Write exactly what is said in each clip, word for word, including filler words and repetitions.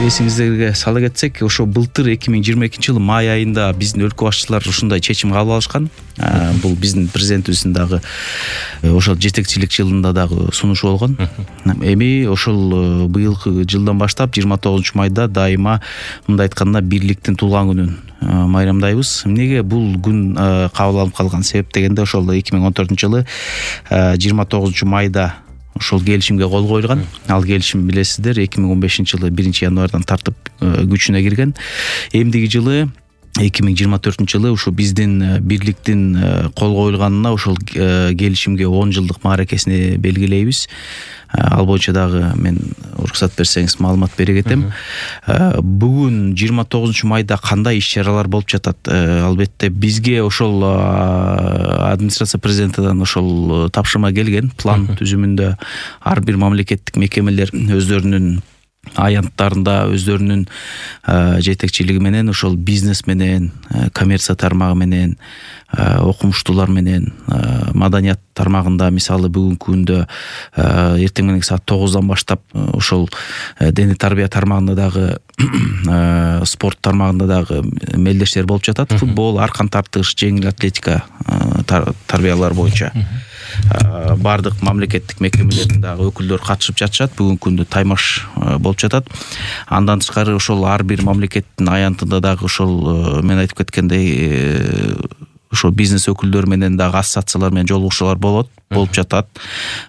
эсиңиздерге сала кетсек, ошо былтыр эки миң жыйырма экинчи жылы май айында биздин өлкө башчылары ушундай чечим кабыл алышкан. Бул биздин президентибиздин дагы ошол жетекчилик жылында дагы сунушу болгон. Эми ошол быйылкы жылдан баштап жыйырма тогузунчу майда дайыма мындай айтканда бирликтин туулган күнүн майрамдайбыз. Эмнеге бул күн кабыл алынып калган себеп дегенде, ошол эки миң он төртүнчү жылы жыйырма тогузунчу майда ошол келишимге кол коюлган. Ал келишим билесиздер, эки миң он бешинчи жылы биринчи январдан тартып күчүнө кирген. Эмдиги жылы эки миң жыйырма төртүнчү жылы ушу биздин бирликтин кол коюлганына ошол келишимге он жылдык мааракесини белгилейбиз. Ал боюнча дагы мен уруксат берсеңиз маалымат бере кетем. Бүгүн жыйырма тогузунчу майда кандай иш-чаралар болуп жатат? Албетте бизге ошол администрация президентидан ошол тапшырма келген. План түзүмүндө ар бир мамлекеттик мекемелер өздөрүнүн аянттарында өздөрүнүн жетекчилиги менен ошол бизнес менен, коммерция тармагы менен, окумуштуулар менен, маданият тармагында мисалы бүгүнкү күндө эртең мененки саат тогуздан баштап ошол дене тарбия тармагында дагы спорт тармагында дагы мелдештер болуп жатат. Футбол, аркан тартыш, жеңил атлетика тарбиялар боюнча бардык мамлекеттик мекемелердин дагы өкүлдөрү катышып жатышат. Бүгүнкү күндө таймаш болуп жатат. Андан тышкары ошол ар бир мамлекеттин аянтында дагы ошол мен айтып кеткендей ошо бизнес өкүлдөрү менен дагы ассоциациялар менен жолугушуулар болот, болуп жатат.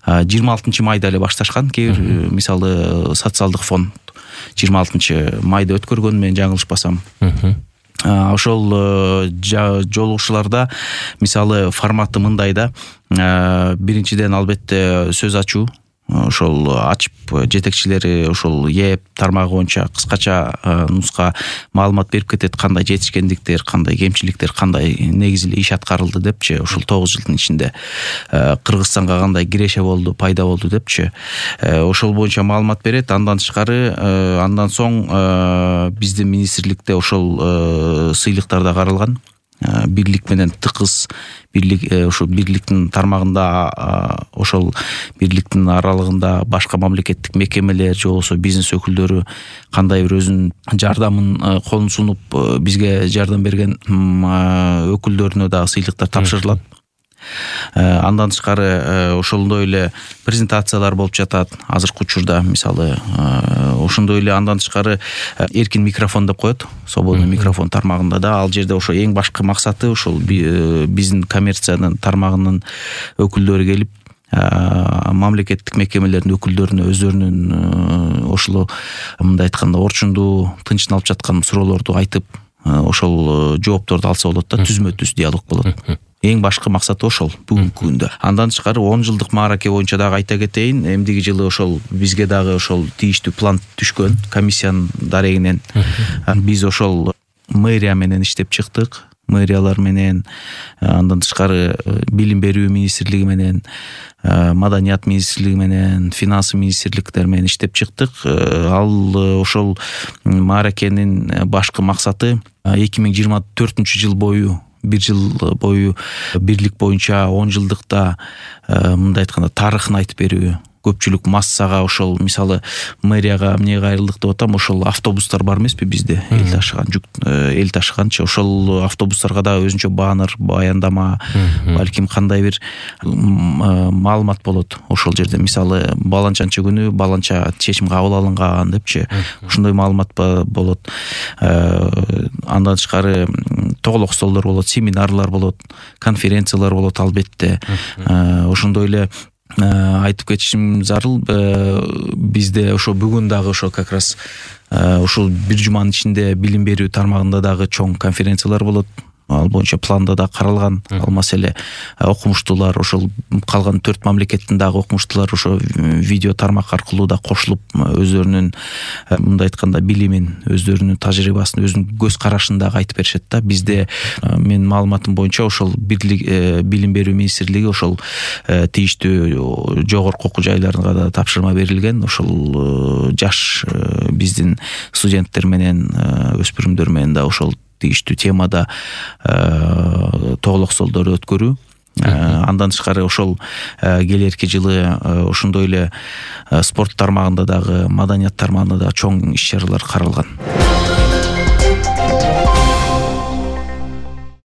жыйырма алтынчы майда эле башташкан. Кээ бир мисалы социалдык фонд жыйырма алтынчы майда өткөргөн, мен жаңылышпасам. Ошол жолугушууларда мисалы форматы мындай да. Биринчиден албетте сөз ачуу. Ошол ачып жетекчилери ошол ЕЭП тармагы боюнча кыскача нуска маалымат берип кетет, кандай жетишкендиктер, кандай кемчиликтер, кандай негизи эле иш аткарылды депчи. Ошол тогуз жылдын ичинде Кыргызстанга кандай киреше болду, пайда болду депчи. Ошол боюнча маалымат берет. Андан тышкары андан соң биздин министрликте ошол сыйлыктар да каралган. Бирлик менен тыкыз бирлик, ошо бирликтин тармагында ошол бирликтин аралыгында башка мамлекеттик мекемелер же болбосо бизнес өкүлдөрү кандай бир өзүнүн жардамын колун сунуп бизге жардам берген өкүлдөрүнө дагы сыйлыктар тапшырылат. Андан тышкары ошондой эле презентациялар болуп жатат азыркы учурда. Мисалы ошондой эле андан тышкары эркин микрофон деп коет, свободный микрофон тармагында да. Ал жерде ошо эң башкы максаты ошол биздин коммерциянын тармагынын өкүлдөрү келип мамлекеттик мекемелердин өкүлдөрүнө өздөрүнүн ошол мындай айтканда орчундуу, тынчтын алып жаткан суроолорду айтып ошол жоопторду алса болот да, түзмө-түз диалог болот. Эң башкы максаты ошол бүгүнкү күндө. Андан тышкары он жылдык маараке боюнча дагы айта кетейин. Эмдиги жылы ошол бизге дагы ошол тийиштүү план түшкөн комиссиянын дарегинен. Биз ошол мэрия менен иштеп чыктык. Мэриялар менен, андан тышкары билим берүү министрлиги менен, маданият министрлиги менен, финансы министрликтер менен иштеп чыктык. Ал ошол мааракенин башкы максаты эки миң жыйырма төртүнчү жыл бою бир жыл бою бирлик боюнча он жылдыкта мындай айтканда тарыхын айтып берүү. Көпчүлүк массага ошол мисалы мэрияга эмне кайрылдык деп атам, ошол автобустар бар эмеспи бизде, эл ташыган жүк, эл ташыганчы. Ошол автобустарга да өзүнчө баннер, баяндама, балким кандай бир маалымат болот ошол жерде. Мисалы баланчанчы күнү баланча чечим кабыл алынган депчи. Ошондой маалымат болот. Андан тышкары тоголок столдор болот, семинарлар болот, конференциялар болот албетте. Ошондой эле айтып кетишим зарыл, бизде ошо бүгүн дагы ошо как раз ушул бир жуманын ичинде билим берүү тармагында дагы чоң конференциялар болот. Ал боюнча планда да каралган. Ал маселе окумуштуулар, ошол калган төрт мамлекеттин дагы окумуштуулар ошо видео тармак аркылуу да кошулуп өздөрүнүн мындай айтканда билимин, өздөрүнүн тажрыйбасын, өзүнүн көз карашын дагы айтып беришет да. Бизде менин маалыматым боюнча ошол бирлик билим берүү министрлиги ошол тийиштүү жогорку окуу жайларга да тапшырма берилген. Ошол жаш биздин студенттер менен, өспүрүмдөр менен да ошол тийиштүү темада тоголок столдор өткөрүү. Андан тышкары ошол келерки жылы ошондой эле спорт тармагында дагы, маданият тармагында дагы чоң иш чаралар каралган.